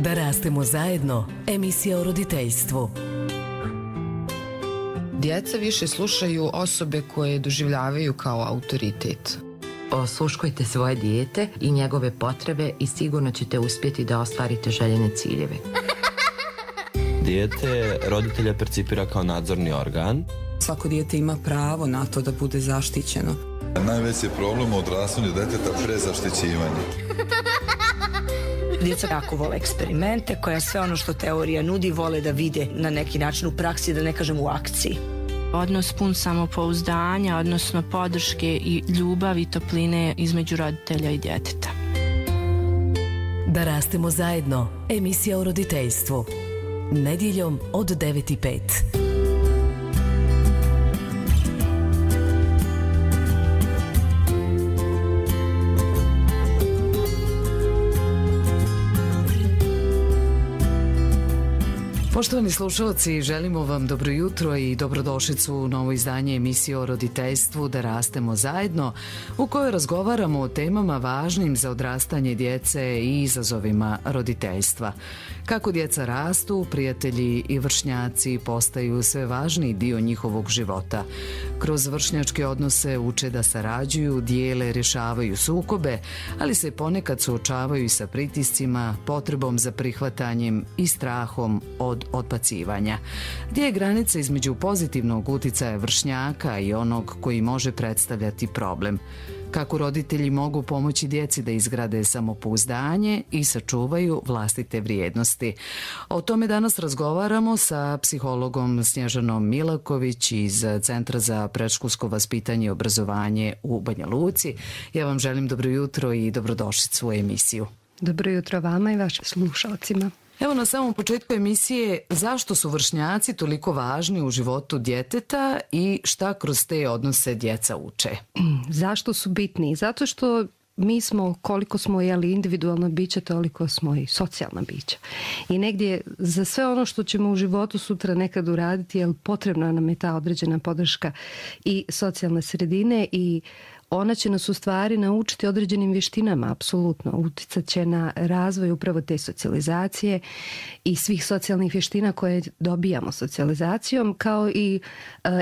Da rastemo zajedno, emisija o roditeljstvu. Djeca više slušaju osobe koje doživljavaju kao autoritet. Osluškujte svoje dijete i njegove potrebe i sigurno ćete uspjeti da ostvarite željene ciljeve. Dijete roditelja percipira kao nadzorni organ. Svako dijete ima pravo na to da bude zaštićeno. Najveći problem u odrastanju djeteta prezaštićivanje. Djeca jako vole eksperimente, koja sve ono što teorija nudi vole da vide na neki način u praksi, da ne kažem u akciji. Odnos pun samopouzdanja, odnosno podrške i ljubavi i topline između roditelja i djeteta. Da rastemo zajedno, emisija o roditeljstvu. Nedjeljom od 9:05. Poštovani slušalci, želimo vam dobro jutro i dobrodošlicu u novo izdanje emisije o roditeljstvu Da rastemo zajedno, u kojoj razgovaramo o temama važnim za odrastanje djece i izazovima roditeljstva. Kako djeca rastu, prijatelji i vršnjaci postaju sve važniji dio njihovog života. Kroz vršnjačke odnose uče da sarađuju, dijele, rješavaju sukobe, ali se ponekad suočavaju i sa pritiscima, potrebom za prihvatanjem i strahom od odbacivanja. Gdje je granica između pozitivnog uticaja vršnjaka i onog koji može predstavljati problem? Kako roditelji mogu pomoći djeci da izgrade samopouzdanje i sačuvaju vlastite vrijednosti? O tome danas razgovaramo sa psihologom Snježanom Milaković iz Centra za predškolsko vaspitanje i obrazovanje u Banja Luci. Ja vam želim dobro jutro i dobrodošlicu u emisiju. Dobro jutro vama i vašim slušalcima. Evo na samom početku emisije, zašto su vršnjaci toliko važni u životu djeteta i šta kroz te odnose djeca uče? Zašto su bitni? Zato što mi smo, koliko smo individualno biće, toliko smo i socijalna bića. I negdje za sve ono što ćemo u životu sutra nekad uraditi, potrebna nam je ta određena podrška i socijalne sredine i ona će nas u stvari naučiti određenim vještinama, apsolutno. Uticat će na razvoj upravo te socijalizacije i svih socijalnih vještina koje dobijamo socijalizacijom, kao i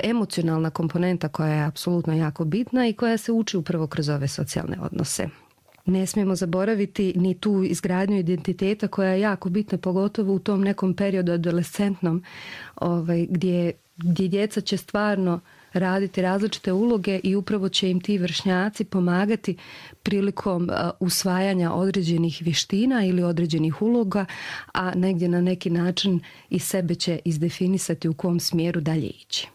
emocionalna komponenta koja je apsolutno jako bitna i koja se uči upravo kroz ove socijalne odnose. Ne smijemo zaboraviti ni tu izgradnju identiteta koja je jako bitna, pogotovo u tom nekom periodu adolescentnom, gdje djeca će stvarno raditi različite uloge i upravo će im ti vršnjaci pomagati prilikom usvajanja određenih vještina ili određenih uloga, a negdje na neki način i sebe će izdefinisati u kom smjeru dalje ići.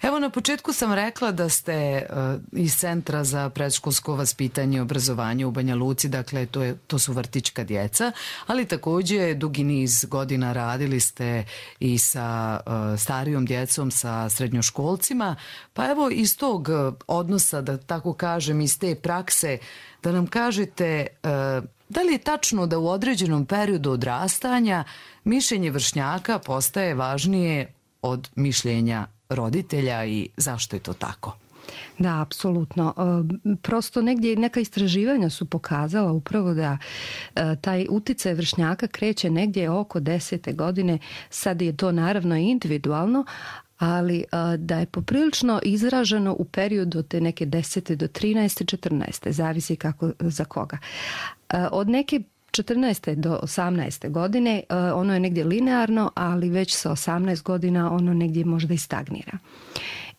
Evo na početku sam rekla da ste iz Centra za predškolsko vaspitanje i obrazovanje u Banja Luci, dakle to su vrtićka djeca, ali također dugi niz godina radili ste i sa starijom djecom, sa srednjoškolcima, pa evo iz tog odnosa, da tako kažem, iz te prakse, da nam kažete da li je tačno da u određenom periodu odrastanja mišljenje vršnjaka postaje važnije od mišljenja roditelja i zašto je to tako? Da, apsolutno. Prosto negdje neka istraživanja su pokazala upravo da taj uticaj vršnjaka kreće negdje oko 10. godine. Sad je to naravno individualno, ali da je poprilično izraženo u periodu od te neke 10. do 13. 14. Zavisi kako za koga. Od neke 14. do 18. godine ono je negdje linearno, ali već sa 18 godina ono negdje možda i stagnira.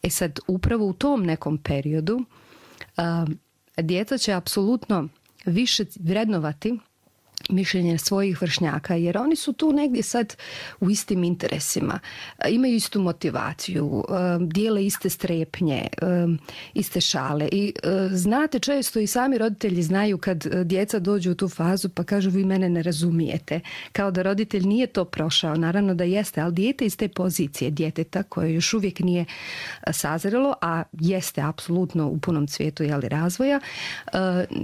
Sad, upravo u tom nekom periodu djeca će apsolutno više vrednovati mišljenje svojih vršnjaka, jer oni su tu negdje sad u istim interesima, imaju istu motivaciju, dijele iste strepnje, iste šale i znate, često i sami roditelji znaju kad djeca dođu u tu fazu pa kažu vi mene ne razumijete, kao da roditelj nije to prošao, naravno da jeste, ali dijete iz te pozicije djeteta koje još uvijek nije sazrelo, a jeste apsolutno u punom cvijetu razvoja,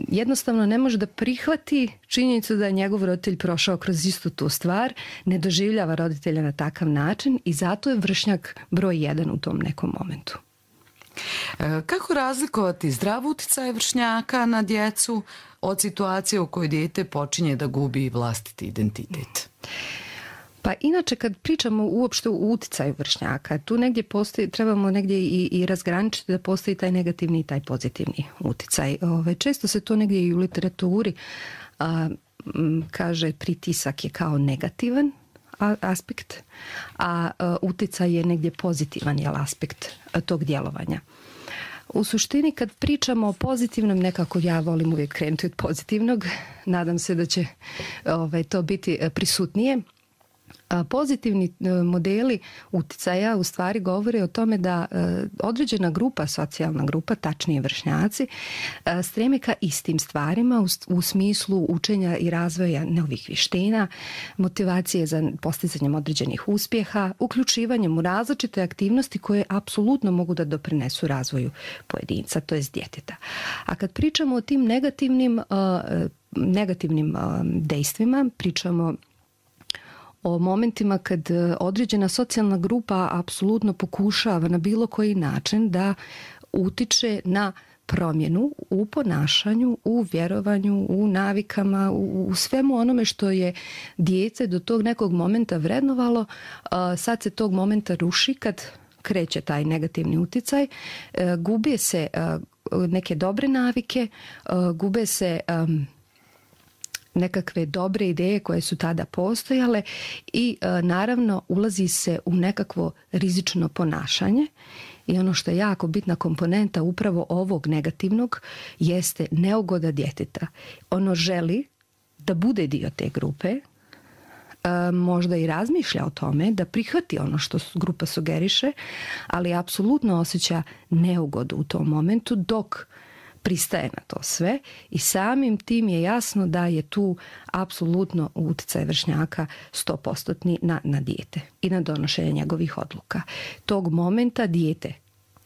jednostavno ne može da prihvati činjenicu da je njegov roditelj prošao kroz istu tu stvar, ne doživljava roditelja na takav način i zato je vršnjak broj 1 u tom nekom momentu. Kako razlikovati zdrav uticaj vršnjaka na djecu od situacije u kojoj dijete počinje da gubi vlastiti identitet? Pa inače kad pričamo uopšte o uticaju vršnjaka, tu negdje postoji, trebamo negdje i razgraničiti da postoji taj negativni i taj pozitivni uticaj. Često se to negdje i u literaturi kaže pritisak je kao negativan aspekt, a uticaj je negdje pozitivan aspekt tog djelovanja. U suštini kad pričamo o pozitivnom, nekako ja volim uvijek krenuti od pozitivnog, nadam se da će to biti prisutnije. Pozitivni modeli uticaja u stvari govore o tome da određena grupa, socijalna grupa, tačnije vršnjaci, streme ka istim stvarima u smislu učenja i razvoja novih vještina, motivacije za postizanjem određenih uspjeha, uključivanjem u različite aktivnosti koje apsolutno mogu da doprinesu razvoju pojedinca, to jest djeteta. A kad pričamo o tim negativnim dejstvima, pričamo o momentima kad određena socijalna grupa apsolutno pokušava na bilo koji način da utiče na promjenu u ponašanju, u vjerovanju, u navikama, u svemu onome što je dijete do tog nekog momenta vrednovalo, sad se tog momenta ruši kad kreće taj negativni uticaj, gube se neke dobre navike, gube se nekakve dobre ideje koje su tada postojale i naravno ulazi se u nekakvo rizično ponašanje i ono što je jako bitna komponenta upravo ovog negativnog jeste neugoda djeteta. Ono želi da bude dio te grupe, možda i razmišlja o tome da prihvati ono što grupa sugeriše, ali apsolutno osjeća neugodu u tom momentu dok pristaje na to sve i samim tim je jasno da je tu apsolutno utjecaj vršnjaka 100% na dijete i na donošenje njegovih odluka. Tog momenta dijete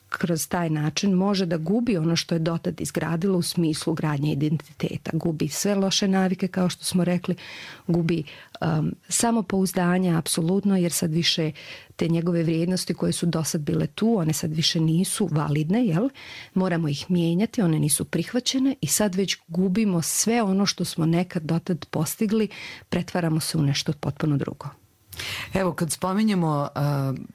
kroz taj način može da gubi ono što je dotad izgradilo u smislu gradnje identiteta. Gubi sve loše navike, kao što smo rekli, gubi samopouzdanje, apsolutno, jer sad više te njegove vrijednosti koje su dosad bile tu, one sad više nisu validne, jel? Moramo ih mijenjati, one nisu prihvaćene i sad već gubimo sve ono što smo nekad dotad postigli, pretvaramo se u nešto potpuno drugo. Evo, kad spominjemo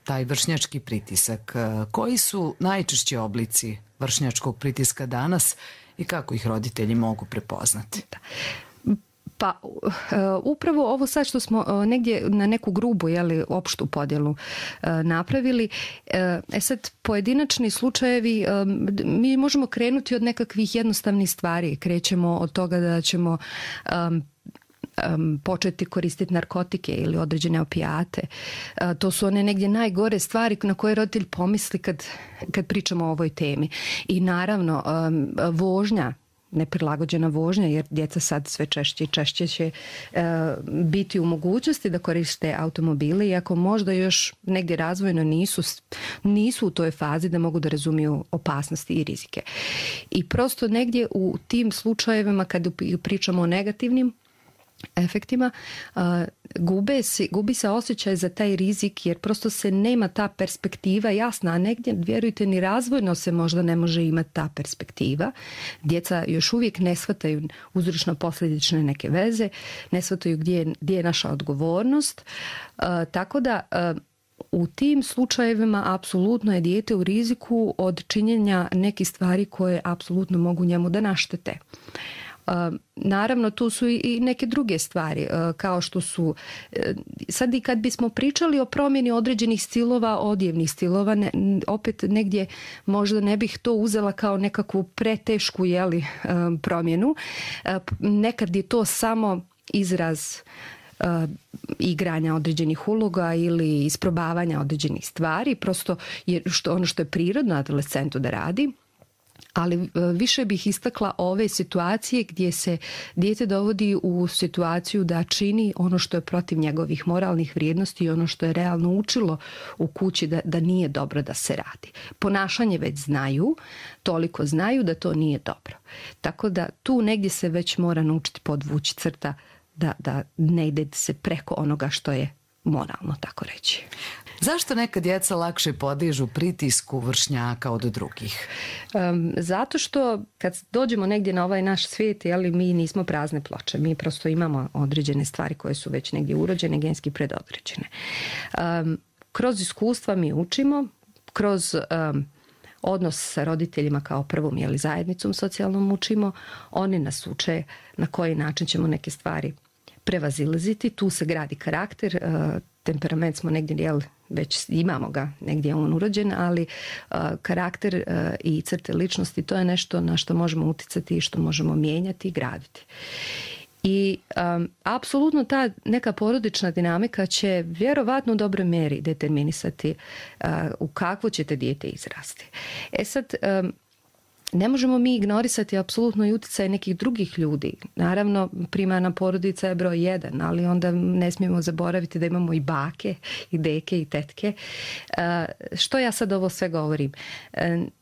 taj vršnjački pritisak, koji su najčešći oblici vršnjačkog pritiska danas i kako ih roditelji mogu prepoznati? Pa upravo ovo sad što smo negdje na neku grubu, opštu podjelu napravili, sad pojedinačni slučajevi, mi možemo krenuti od nekakvih jednostavnih stvari. Krećemo od toga da ćemo početi koristiti narkotike ili određene opijate. To su one negdje najgore stvari na koje roditelj pomisli kad pričamo o ovoj temi. I naravno, vožnja, neprilagođena vožnja, jer djeca sad sve češće i češće će biti u mogućnosti da koriste automobile, iako možda još negdje razvojno nisu u toj fazi da mogu da razumiju opasnosti i rizike. I prosto negdje u tim slučajevima kad pričamo o negativnim efektima, gubi se osjećaj za taj rizik jer prosto se nema ta perspektiva jasna, a negdje, vjerujte, ni razvojno se možda ne može imati ta perspektiva. Djeca još uvijek ne shvataju uzročno-posljedične neke veze, ne shvataju gdje je naša odgovornost, tako da u tim slučajevima apsolutno je dijete u riziku od činjenja nekih stvari koje apsolutno mogu njemu da naštete. Naravno, tu su i neke druge stvari, kao što su, sad i kad bismo pričali o promjeni određenih stilova, odjevnih stilova, opet negdje možda ne bih to uzela kao nekakvu pretešku promjenu. Nekad je to samo izraz igranja određenih uloga ili isprobavanja određenih stvari, prosto je ono što je prirodno adolescentu da radi. Ali više bih istakla ove situacije gdje se dijete dovodi u situaciju da čini ono što je protiv njegovih moralnih vrijednosti i ono što je realno učilo u kući da nije dobro da se radi. Ponašanje već znaju, toliko znaju da to nije dobro. Tako da tu negdje se već mora naučiti podvući crta da ne ide se preko onoga što je moralno, tako reći. Zašto neka djeca lakše podižu pritisku vršnjaka od drugih? Zato što kad dođemo negdje na ovaj naš svijet, mi nismo prazne ploče. Mi prosto imamo određene stvari koje su već negdje urođene, genski predodređene. Kroz iskustva mi učimo, kroz odnos sa roditeljima kao prvom zajednicom socijalnom učimo. Oni nas uče na koji način ćemo neke stvari prevazilaziti. Tu se gradi karakter, temperament smo negdje već imamo ga negdje on urođen, ali karakter i crte ličnosti to je nešto na što možemo uticati i što možemo mijenjati i graditi. I apsolutno ta neka porodična dinamika će vjerovatno u dobroj mjeri determinisati u kakvo ćete dijete izrasti. Sad, ne možemo mi ignorisati apsolutno i utjecaj nekih drugih ljudi. Naravno, primarna porodica je broj 1, ali onda ne smijemo zaboraviti da imamo i bake, i deke, i tetke. Što ja sad ovo sve govorim?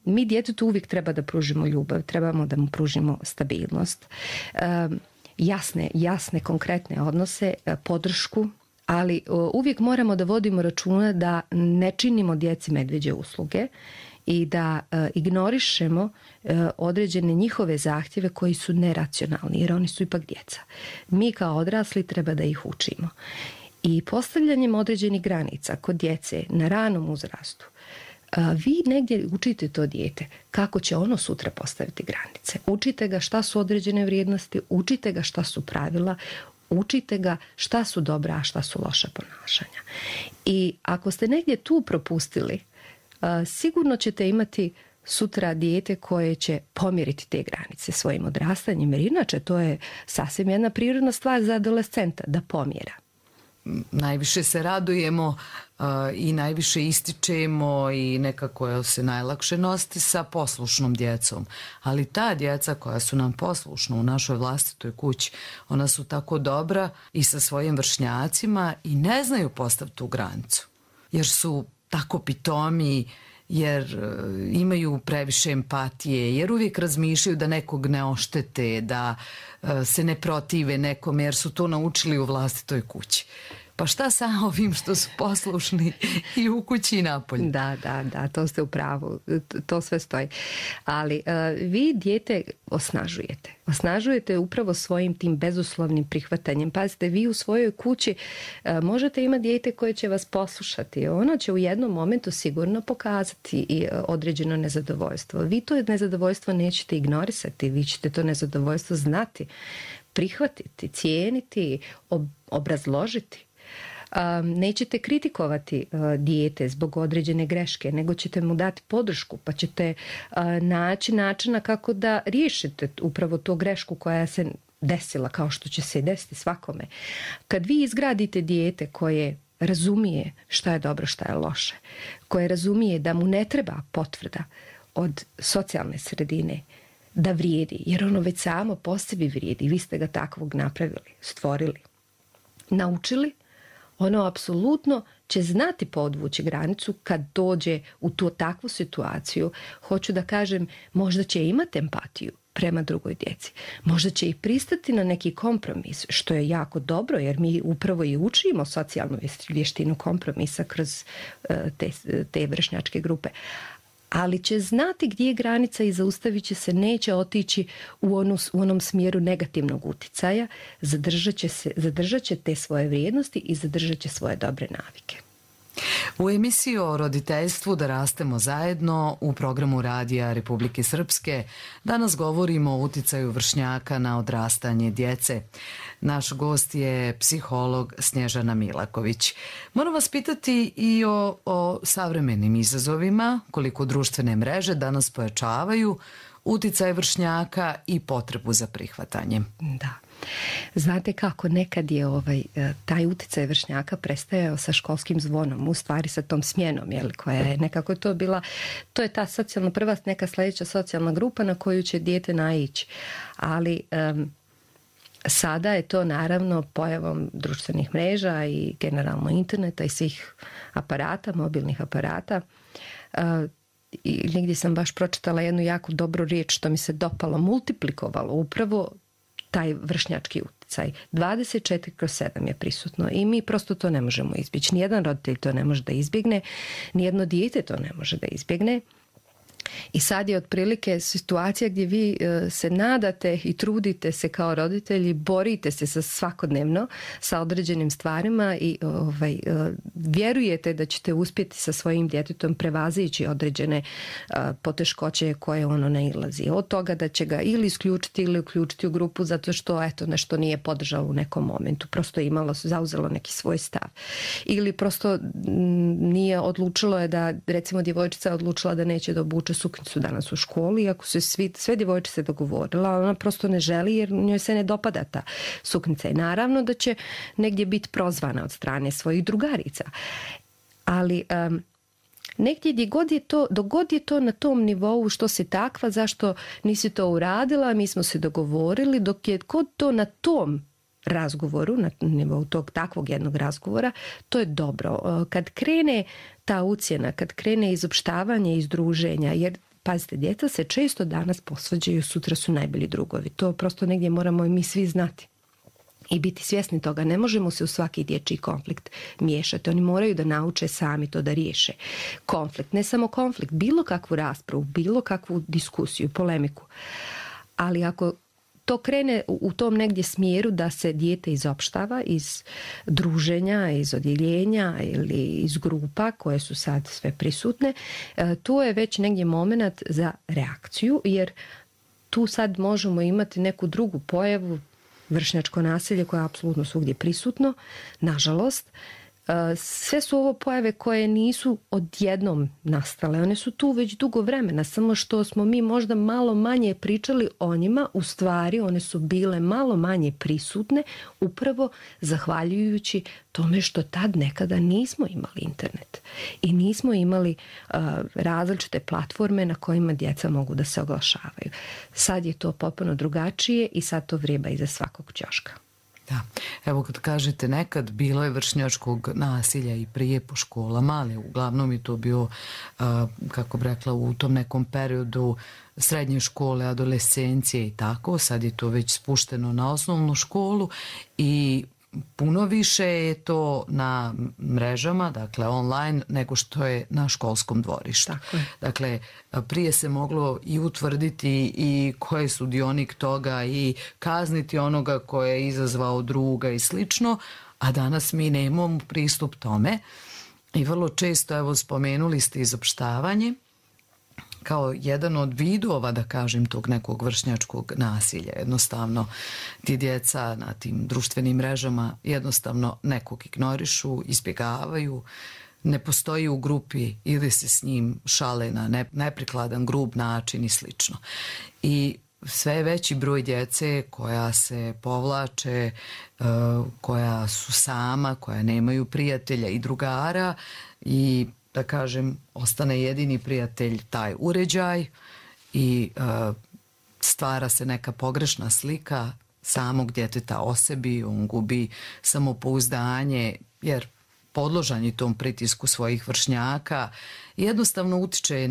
Mi djetetu uvijek treba da pružimo ljubav, trebamo da mu pružimo stabilnost, jasne, konkretne odnose, podršku, ali uvijek moramo da vodimo računa da ne činimo djeci medveđe usluge i da ignorišemo određene njihove zahtjeve koji su neracionalni, jer oni su ipak djeca. Mi kao odrasli treba da ih učimo. I postavljanjem određenih granica kod djece na ranom uzrastu, vi negdje učite to dijete kako će ono sutra postaviti granice. Učite ga šta su određene vrijednosti, učite ga šta su pravila, učite ga šta su dobra, a šta su loša ponašanja. I ako ste negdje tu propustili, sigurno ćete imati sutra dijete koje će pomjeriti te granice svojim odrastanjem, jer inače to je sasvim jedna prirodna stvar za adolescenta, da pomjera. Najviše se radujemo i najviše ističemo i nekako se najlakše nositi sa poslušnom djecom. Ali ta djeca koja su nam poslušna u našoj vlastitoj kući, ona su tako dobra i sa svojim vršnjacima i ne znaju postaviti tu granicu. Jer su tako pitomi, jer imaju previše empatije, jer uvijek razmišljaju da nekog ne oštete, da se ne protive nekome, jer su to naučili u vlastitoj kući. Pa šta sa ovim što su poslušni i u kući i napolju? Da, to ste u pravu, to sve stoji. Ali vi dijete osnažujete. Osnažujete upravo svojim tim bezuslovnim prihvatanjem. Pazite, vi u svojoj kući možete imati dijete koje će vas poslušati. Ono će u jednom momentu sigurno pokazati i određeno nezadovoljstvo. Vi to nezadovoljstvo nećete ignorisati, vi ćete to nezadovoljstvo znati, prihvatiti, cijeniti, obrazložiti. Nećete kritikovati dijete zbog određene greške, nego ćete mu dati podršku, pa ćete naći načina kako da riješite upravo tu grešku koja se desila, kao što će se desiti svakome. Kad vi izgradite dijete koje razumije šta je dobro, šta je loše, koje razumije da mu ne treba potvrda od socijalne sredine da vrijedi, jer ono već samo po sebi vrijedi, vi ste ga takvog napravili, stvorili, naučili, ono apsolutno će znati podvući granicu kad dođe u tu takvu situaciju. Hoću da kažem, možda će imati empatiju prema drugoj djeci. Možda će i pristati na neki kompromis, što je jako dobro, jer mi upravo i učimo socijalnu vještinu kompromisa kroz te vršnjačke grupe. Ali će znati gdje je granica i zaustavit će se, neće otići u onom smjeru negativnog uticaja, zadržat će te svoje vrijednosti i zadržat će svoje dobre navike. U emisiji o roditeljstvu Da rastemo zajedno u programu Radija Republike Srpske danas govorimo o uticaju vršnjaka na odrastanje djece. Naš gost je psiholog Snježana Milaković. Moram vas pitati i o savremenim izazovima, koliko društvene mreže danas pojačavaju uticaj vršnjaka i potrebu za prihvatanjem. Da. Znate kako, nekad je taj uticaj vršnjaka prestajao sa školskim zvonom, u stvari sa tom smjenom, koja je nekako to bila, to je ta socijalna prva, neka sljedeća socijalna grupa na koju će dijete naići. Ali sada je to naravno pojavom društvenih mreža i generalno interneta i svih aparata, mobilnih aparata. I negdje sam baš pročitala jednu jako dobru riječ što mi se dopalo, multiplikovalo upravo taj vršnjački utjecaj. uticaj 24/7 je prisutno i mi prosto to ne možemo izbjeći. Nijedan roditelj to ne može da izbjegne, nijedno dijete to ne može da izbjegne. I sad je otprilike situacija gdje vi se nadate i trudite se kao roditelji, borite se svakodnevno sa određenim stvarima i vjerujete da ćete uspjeti sa svojim djetetom prevazići određene poteškoće koje ono nailazi. Od toga da će ga ili isključiti ili uključiti u grupu zato što nešto nije podržalo u nekom momentu. Prosto je zauzelo neki svoj stav. Ili prosto nije odlučilo je da, recimo, djevojčica je odlučila da neće da obuče suknjicu danas u školi, iako su sve djevojčice dogovorila, ali ona prosto ne želi jer njoj se ne dopada ta suknjica. I naravno da će negdje biti prozvana od strane svojih drugarica. Ali negdje dok god je to na tom nivou, što si takva, zašto nisi to uradila, mi smo se dogovorili, dok je god to na tom razgovoru, na nivou tog takvog jednog razgovora, to je dobro. Kad krene ta ucjena, kad krene izopštavanje iz druženja, jer pazite, djeca se često danas posvađaju, sutra su najbolji drugovi. To prosto negdje moramo i mi svi znati i biti svjesni toga. Ne možemo se u svaki dječji konflikt miješati. Oni moraju da nauče sami to da riješe. Konflikt, ne samo konflikt, bilo kakvu raspravu, bilo kakvu diskusiju, polemiku. Ali ako to krene u tom negdje smjeru da se dijete izopštava iz druženja, iz odjeljenja ili iz grupa koje su sad sve prisutne, to je već negdje moment za reakciju, jer tu sad možemo imati neku drugu pojavu, vršnjačko nasilje koje je apsolutno svugdje prisutno, nažalost. Sve su ovo pojave koje nisu odjednom nastale, one su tu već dugo vremena, samo što smo mi možda malo manje pričali o njima, u stvari one su bile malo manje prisutne upravo zahvaljujući tome što tad nekada nismo imali internet i nismo imali različite platforme na kojima djeca mogu da se oglašavaju. Sad je to potpuno drugačije i sad to vrijeba iza svakog ćoška. Da, evo kad kažete nekad bilo je vršnjačkog nasilja i prije po školama, ali uglavnom je to bio, kako bi rekla, u tom nekom periodu srednje škole, adolescencije i tako. Sad je to već spušteno na osnovnu školu i puno više je to na mrežama, dakle online, nego što je na školskom dvorištu. Dakle, prije se moglo i utvrditi i ko je sudionik toga i kazniti onoga ko je izazvao druga i slično, a danas mi nemamo pristup tome i vrlo često, evo, spomenuli ste izopštavanje kao jedan od vidova, da kažem, tog nekog vršnjačkog nasilja. Jednostavno, ti djeca na tim društvenim mrežama jednostavno nekog ignorišu, izbjegavaju, ne postoji u grupi ili se s njim šale na neprikladan, grub način i slično. I sve je veći broj djece koja se povlače, koja su sama, koja nemaju prijatelja i drugara i, da kažem, ostane jedini prijatelj taj uređaj i stvara se neka pogrešna slika samog djeteta o sebi, on gubi samopouzdanje jer podložan je tom pritisku svojih vršnjaka i jednostavno utiče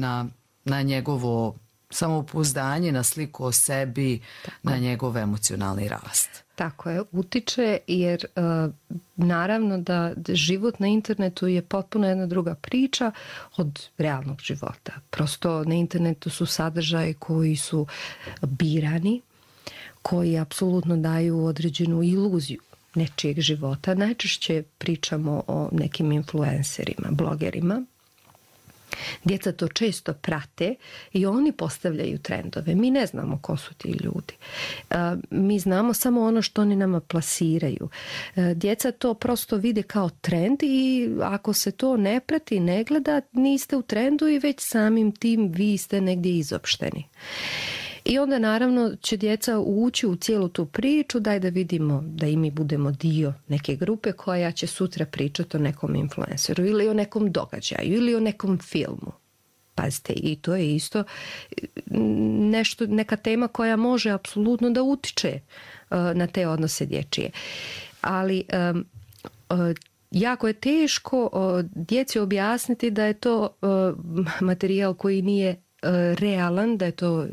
na njegovo samopouzdanje, na sliku o sebi, na njegov emocionalni rast. Tako je, utiče jer naravno da život na internetu je potpuno jedna druga priča od realnog života. Prosto na internetu su sadržaji koji su birani, koji apsolutno daju određenu iluziju nečijeg života. Najčešće pričamo o nekim influencerima, blogerima. Djeca to često prate i oni postavljaju trendove. Mi ne znamo ko su ti ljudi. Mi znamo samo ono što oni nama plasiraju. Djeca to prosto vide kao trend i ako se to ne prati, ne gleda, niste u trendu i već samim tim vi ste negdje izopšteni. I onda naravno će djeca ući u cijelu tu priču, daj da vidimo da i mi budemo dio neke grupe koja će sutra pričati o nekom influenceru ili o nekom događaju ili o nekom filmu. Pazite, i to je isto neka tema koja može apsolutno da utiče na te odnose dječje. Ali jako je teško djeci objasniti da je to materijal koji nije realan, da je to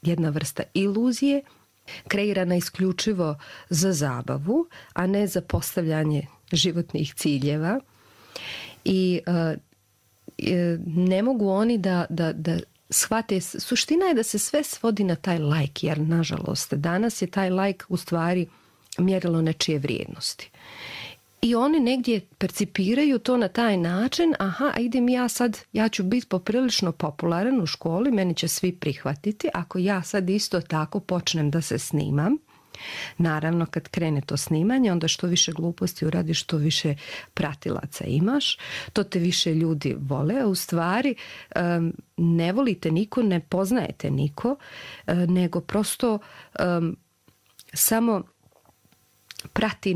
jedna vrsta iluzije kreirana isključivo za zabavu, a ne za postavljanje životnih ciljeva. I ne mogu oni da shvate, suština je da se sve svodi na taj like, jer nažalost danas je taj like u stvari mjerilo nečije vrijednosti. I oni negdje percipiraju to na taj način, aha, idem ja ću biti poprilično popularan u školi, meni će svi prihvatiti, ako ja sad isto tako počnem da se snimam. Naravno, kad krene to snimanje, onda što više gluposti uradiš, što više pratilaca imaš, to te više ljudi vole, a u stvari ne volite niko, ne poznajete niko, nego prosto samo prati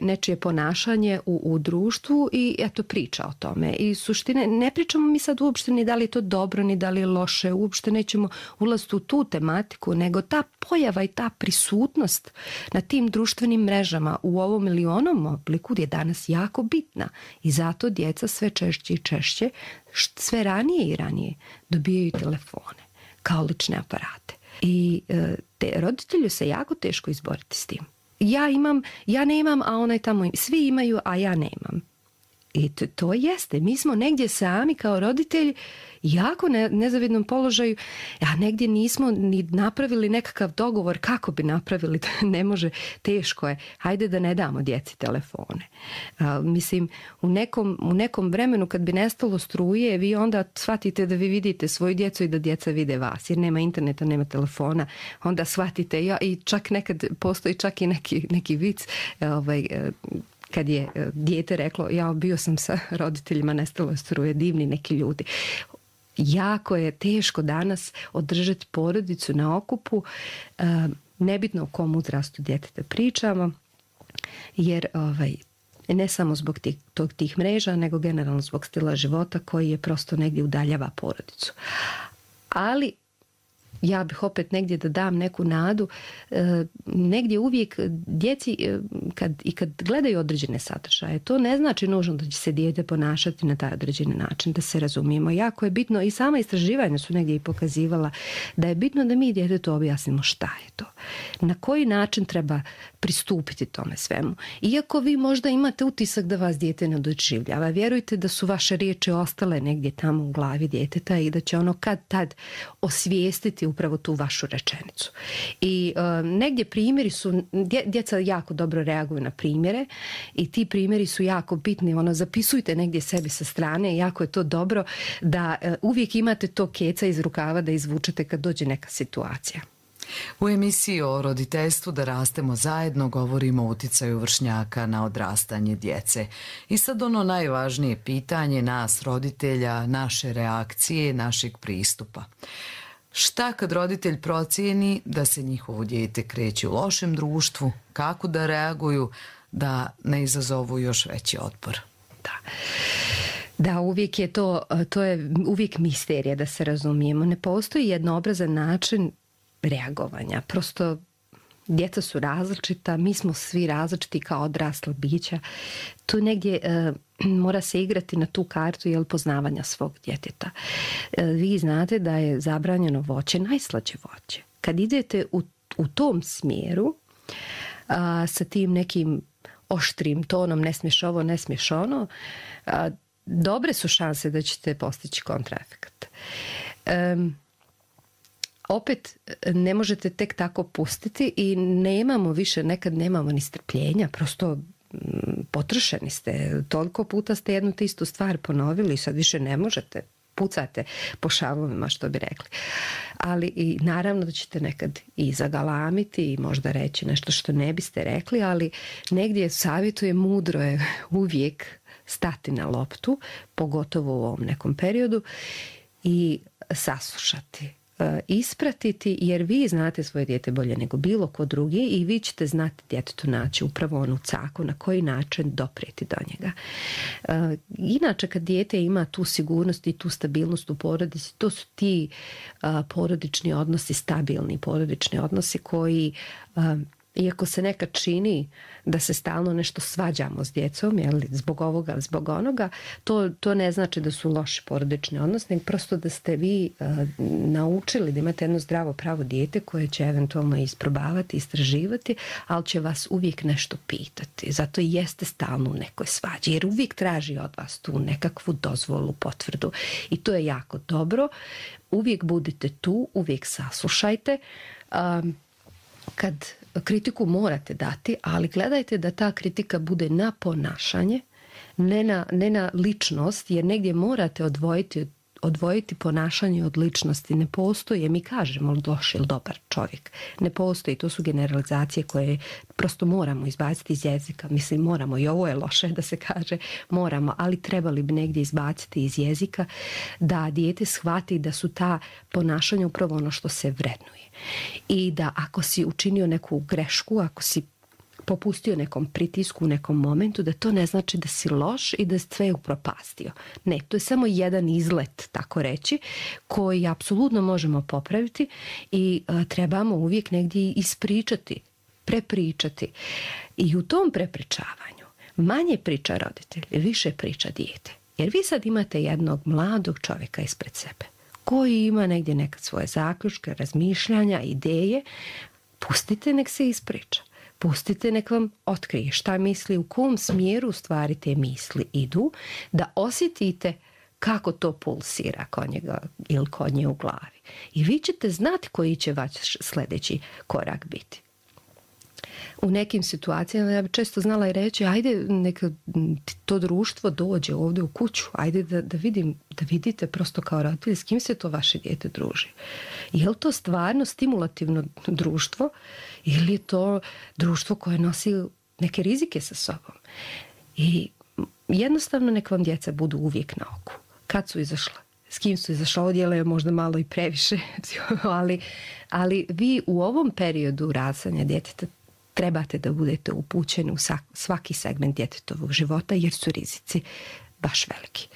nečije ponašanje u društvu i eto priča o tome. I suštine, ne pričamo mi sad uopšte ni da li je to dobro, ni da li je loše, uopšte nećemo ulaziti u tu tematiku, nego ta pojava i ta prisutnost na tim društvenim mrežama u ovom ili onom obliku je danas jako bitna. I zato djeca sve češće i češće, sve ranije i ranije dobijaju telefone kao lične aparate. I roditelju se jako teško izboriti s tim. Ja nemam, a onaj tamo, svi imaju, a ja nemam. I to jeste. Mi smo negdje sami kao roditelji jako nezavidnom položaju, a negdje nismo ni napravili nekakav dogovor kako bi napravili, ne može, teško je. Hajde da ne damo djeci telefone. Mislim, u nekom vremenu kad bi nestalo struje, vi onda shvatite da vi vidite svoju djecu i da djeca vide vas, jer nema interneta, nema telefona, onda shvatite, i čak nekad postoji čak i neki vic, kad je dijete reklo, bio sam sa roditeljima, nestalo struje, divni neki ljudi. Jako je teško danas održati porodicu na okupu, nebitno o kom uzrastu djeteta pričamo, jer ne samo zbog tih mreža, nego generalno zbog stila života koji je prosto negdje udaljava porodicu. Ali ja bih opet negdje da dam neku nadu, negdje uvijek djeci kad gledaju određene sadržaje, to ne znači nužno da će se dijete ponašati na taj određeni način, da se razumijemo. Jako je bitno, i sama istraživanja su negdje i pokazivala da je bitno da mi djetetu objasnimo šta je to, na koji način treba pristupiti tome svemu. Iako vi možda imate utisak da vas dijete ne doživljava, vjerujte da su vaše riječi ostale negdje tamo u glavi djeteta i da će ono kad tad osvijestiti upravo tu vašu rečenicu. I negdje primjeri su, djeca jako dobro reaguju na primjere i ti primjeri su jako bitni, zapisujte negdje sebi sa strane, jako je to dobro da uvijek imate to keca iz rukava da izvučete kad dođe neka situacija. U emisiji o roditeljstvu Da rastemo zajedno govorimo o uticaju vršnjaka na odrastanje djece. I sad ono najvažnije pitanje nas roditelja, naše reakcije, našeg pristupa. Šta kad roditelj procijeni da se njihovo dijete kreće u lošem društvu, kako da reaguju da ne izazovu još veći otpor? Da, uvijek je to je uvijek misterija, da se razumijemo. Ne postoji jednoobrazan način reagovanja. Prosto djeca su različita, mi smo svi različiti kao odrasla bića. Tu negdje mora se igrati na tu kartu poznavanja svog djeteta. Vi znate da je zabranjeno voće najslađe voće. Kad idete u tom smjeru sa tim nekim oštrim tonom, ne smiješ ovo, ne smiješ ono, dobre su šanse da ćete postići kontraefekt. Opet ne možete tek tako pustiti i nekad nemamo ni strpljenja, prosto potrošeni ste, toliko puta ste jednu te istu stvar ponovili i sad više ne možete, pucate po šavovima, što bi rekli. Ali i naravno da ćete nekad i zagalamiti i možda reći nešto što ne biste rekli, ali negdje savjetuje, mudro je uvijek stati na loptu, pogotovo u ovom nekom periodu, i saslušati, ispratiti, jer vi znate svoje dijete bolje nego bilo ko drugi i vi ćete znati djetetu naći upravo onu caku na koji način doprijeti do njega. Inače, kad dijete ima tu sigurnost i tu stabilnost u porodici, to su ti porodični odnosi, stabilni porodični odnosi koji iako se nekad čini da se stalno nešto svađamo s djecom, zbog ovoga, zbog onoga, to ne znači da su loši porodični odnosi, nego prosto da ste vi naučili da imate jedno zdravo pravo dijete koje će eventualno isprobavati, istraživati, ali će vas uvijek nešto pitati. Zato i jeste stalno u nekoj svađi, jer uvijek traži od vas tu nekakvu dozvolu, potvrdu. I to je jako dobro. Uvijek budite tu, uvijek saslušajte. Kad kritiku morate dati, ali gledajte da ta kritika bude na ponašanje, ne na ličnost, jer negdje morate odvojiti ponašanje od ličnosti. Ne postoji, mi kažemo loš ili dobar čovjek. Ne postoji, to su generalizacije koje prosto moramo izbaciti iz jezika. Mislim, moramo, i ovo je loše da se kaže, moramo, ali trebali bi negdje izbaciti iz jezika da dijete shvati da su ta ponašanja upravo ono što se vrednuje. I da ako si učinio neku grešku, ako si popustio nekom pritisku u nekom momentu, da to ne znači da si loš i da si sve upropastio. Ne, to je samo jedan izlet, tako reći, koji apsolutno možemo popraviti i trebamo uvijek negdje ispričati, prepričati. I u tom prepričavanju manje priča roditelj, više priča dijete. Jer vi sad imate jednog mladog čovjeka ispred sebe koji ima negdje nekad svoje zaključke, razmišljanja, ideje. Pustite nek se ispriča. Pustite nek vam otkrije šta misli, u kom smjeru u stvari te misli idu, da osjetite kako to pulsira kod njega ili kod nje u glavi. I vi ćete znati koji će vaš sljedeći korak biti. U nekim situacijama ja bi često znala i reći, ajde neka to društvo dođe ovdje u kuću, ajde da vidite prosto kao roditelji s kim se to vaše dijete druži. Je li to stvarno stimulativno društvo ili je to društvo koje nosi neke rizike sa sobom? I jednostavno nek vam djeca budu uvijek na oku. Kad su izašla? S kim su izašla? Odjela je možda malo i previše, ali vi u ovom periodu rastanja djeteta trebate da budete upućeni u svaki segment djetetovog života, jer su rizici baš veliki.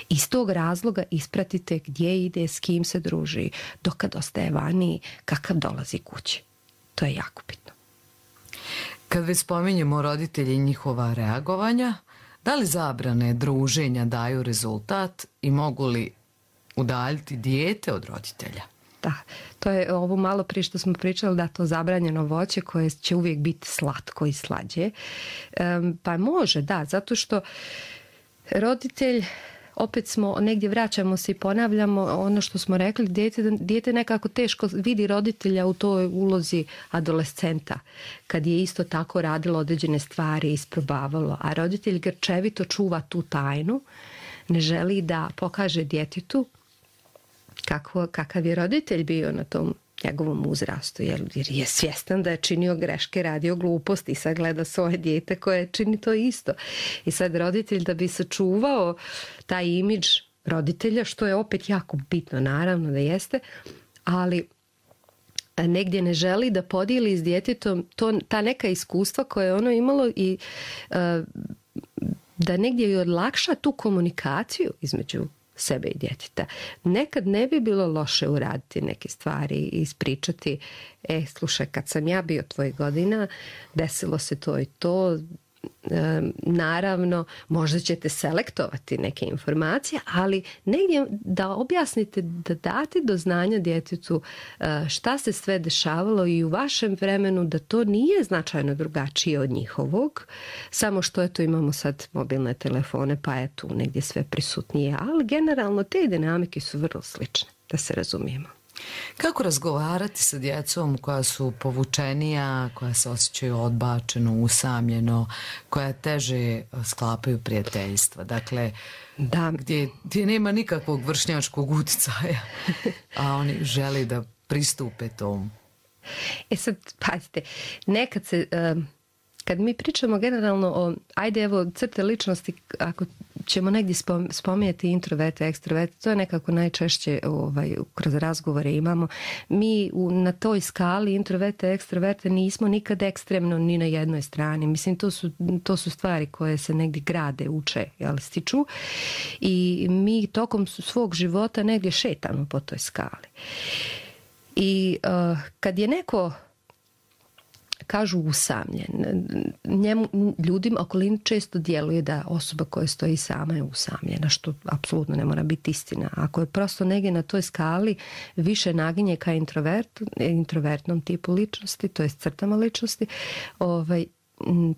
Iz tog razloga ispratite gdje ide, s kim se druži, dokad ostaje vani, kakav dolazi kući. To je jako bitno. Kad već spominjemo roditelji i njihova reagovanja, da li zabrane druženja daju rezultat i mogu li udaljiti dijete od roditelja? Da, to je ovo malo prije što smo pričali, da to zabranjeno voće koje će uvijek biti slatko i slađe. Pa može, da, zato što roditelj, opet smo negdje vraćamo se i ponavljamo ono što smo rekli, dijete nekako teško vidi roditelja u toj ulozi adolescenta, kad je isto tako radilo određene stvari, isprobavalo, a roditelj grčevito čuva tu tajnu, ne želi da pokaže djetetu kakav je roditelj bio na tom njegovom uzrastu, jer je svjestan da je činio greške, radio gluposti i sad gleda svoje dijete koje čini to isto. I sad roditelj, da bi sačuvao taj imidž roditelja, što je opet jako bitno, naravno da jeste, ali negdje ne želi da podijeli s djetetom ta neka iskustva koje je ono imalo i da negdje i olakša tu komunikaciju između sebe i djeteta. Nekad ne bi bilo loše uraditi neke stvari i ispričati, slušaj, kad sam ja bio tvojih godina, desilo se to i to. Naravno, možda ćete selektovati neke informacije, ali negdje da objasnite, da date do znanja djetetu šta se sve dešavalo i u vašem vremenu, da to nije značajno drugačije od njihovog, samo što eto imamo sad mobilne telefone pa je tu negdje sve prisutnije, ali generalno te dinamike su vrlo slične, da se razumijemo. Kako razgovarati sa djecom koja su povučenija, koja se osjećaju odbačeno, usamljeno, koja teže sklapaju prijateljstva? Dakle, da, gdje nema nikakvog vršnjačkog utjecaja, a oni žele da pristupe tomu. Sad, pazite, nekad se... Kad mi pričamo generalno o, ajde evo, crte ličnosti, ako ćemo negdje spominjati introverte, ekstroverte, to je nekako najčešće kroz razgovore imamo. Mi na toj skali introverte, ekstroverte nismo nikad ekstremno ni na jednoj strani. Mislim, to su stvari koje se negdje grade, uče, stiču. I mi tokom svog života negdje šetamo po toj skali. I kad je neko kažu usamljen. Ljudima okolini često djeluje da osoba koja stoji sama je usamljena, što apsolutno ne mora biti istina. Ako je prosto negdje na toj skali više naginje ka introvertnom tipu ličnosti, to je crtama ličnosti,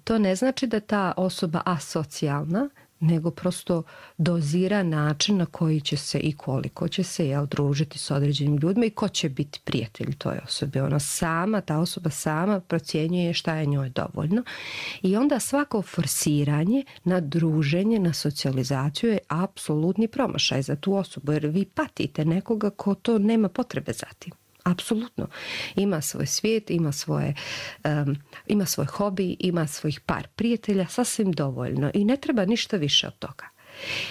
to ne znači da ta osoba asocijalna, nego prosto dozira način na koji će se i koliko će se družiti s određenim ljudima i ko će biti prijatelj toj osobi. Ta osoba sama procjenjuje šta je njoj dovoljno i onda svako forsiranje na druženje, na socijalizaciju je apsolutni promašaj za tu osobu, jer vi patite nekoga ko to nema potrebe za tim. Apsolutno. Ima svoj svijet, ima svoj hobi, ima svojih par prijatelja, sasvim dovoljno i ne treba ništa više od toga.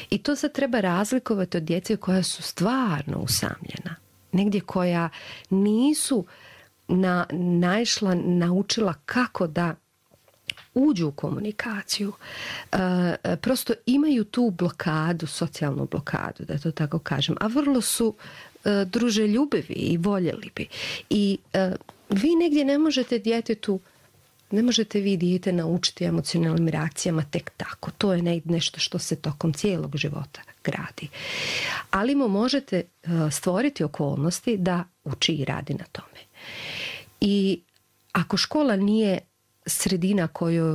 I to se treba razlikovati od djece koja su stvarno usamljena. Negdje koja nisu naučila kako da uđu u komunikaciju. Prosto imaju tu blokadu, socijalnu blokadu, da to tako kažem, a vrlo su druželjubivi i voljeli bi. I vi negdje ne možete vi dijete naučiti emocionalnim reakcijama tek tako. To je nešto što se tokom cijelog života gradi. Ali mu možete stvoriti okolnosti da uči i radi na tome. I ako škola nije sredina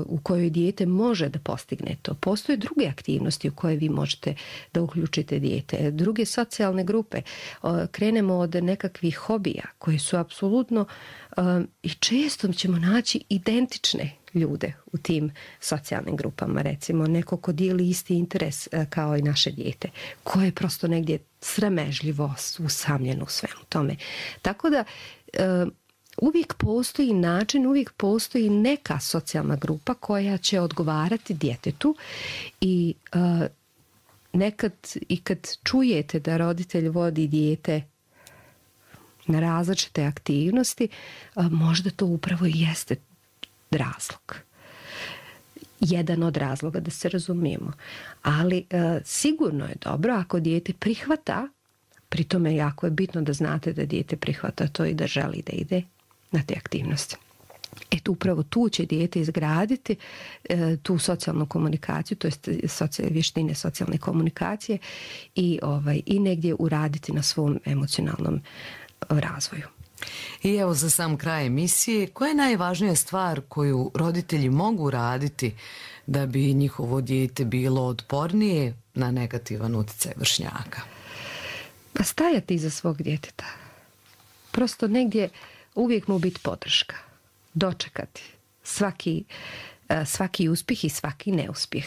u kojoj dijete može da postigne to, postoje druge aktivnosti u koje vi možete da uključite dijete, druge socijalne grupe. Krenemo od nekakvih hobija koji su apsolutno i često ćemo naći identične ljude u tim socijalnim grupama. Recimo neko ko dijeli isti interes kao i naše dijete, koje je prosto negdje sramežljivo usamljeno u svemu tome. Tako da uvijek postoji način, uvijek postoji neka socijalna grupa koja će odgovarati djetetu i nekad i kad čujete da roditelj vodi dijete na različite aktivnosti, možda to upravo i jeste razlog. Jedan od razloga, da se razumijemo. Ali sigurno je dobro ako dijete prihvata, pri tome jako je bitno da znate da dijete prihvata to i da želi da ide na te aktivnosti. Upravo tu će dijete izgraditi tu socijalnu komunikaciju, to jest vještine socijalne komunikacije i negdje uraditi na svom emocionalnom razvoju. I evo za sam kraj emisije, koja je najvažnija stvar koju roditelji mogu raditi da bi njihovo dijete bilo otpornije na negativan utjecaj vršnjaka? Pa stajati iza svog djeteta. Prosto negdje uvijek mu biti podrška. Dočekati svaki uspjeh i svaki neuspjeh.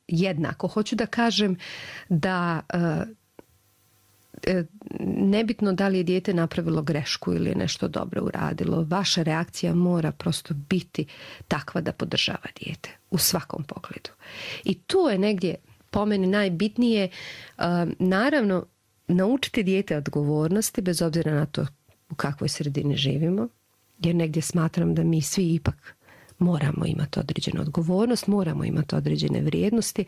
Jednako hoću da kažem da nebitno da li je dijete napravilo grešku ili je nešto dobro uradilo, vaša reakcija mora prosto biti takva da podržava dijete u svakom pogledu. I tu je negdje po meni najbitnije, naravno, naučiti dijete odgovornosti bez obzira na to u kakvoj sredini živimo, jer negdje smatram da mi svi ipak moramo imati određenu odgovornost, moramo imati određene vrijednosti,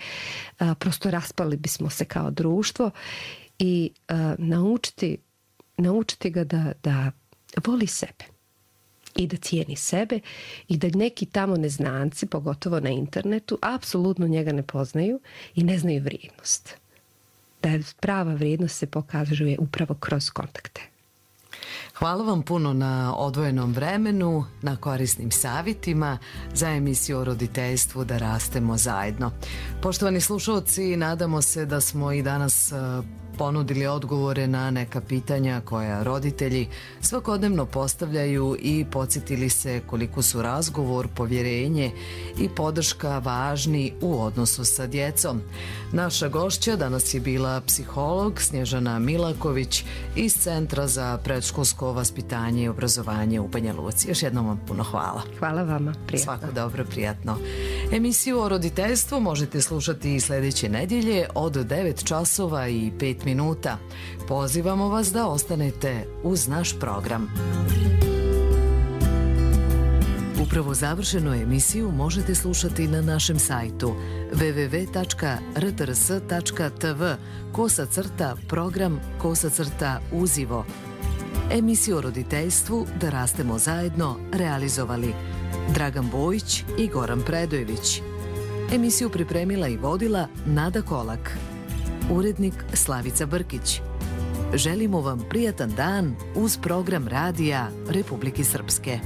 prosto raspali bismo se kao društvo i naučiti ga da voli sebe i da cijeni sebe i da neki tamo neznanci, pogotovo na internetu, apsolutno njega ne poznaju i ne znaju vrijednost. Da prava vrijednost se pokazuje upravo kroz kontakte. Hvala vam puno na odvojenom vremenu, na korisnim savjetima za emisiju o roditeljstvu Da rastemo zajedno. Poštovani slušalci, nadamo se da smo i danas ponudili odgovore na neka pitanja koja roditelji svakodnevno postavljaju i podsjetili se koliko su razgovor, povjerenje i podrška važni u odnosu sa djecom. Naša gošća danas je bila psiholog Snježana Milaković iz Centra za predškolsko vaspitanje i obrazovanje u Banja Luci. Još jednom vam puno hvala. Hvala vama, prijatno. Svako dobro, prijatno. Emisiju o roditeljstvu možete slušati i sljedeće nedjelje od 9 časova i 5 minuta. Pozivamo vas da ostanete uz naš program. Upravo završenu emisiju možete slušati na našem sajtu www.rtrs.tv /program/uzivo. Emisiju o roditeljstvu Da rastemo zajedno realizovali Dragan Bojić i Goran Predojević. Emisiju pripremila i vodila Nada Kolak. Urednik Slavica Brkić. Želimo vam prijatan dan uz program radija Republike Srpske.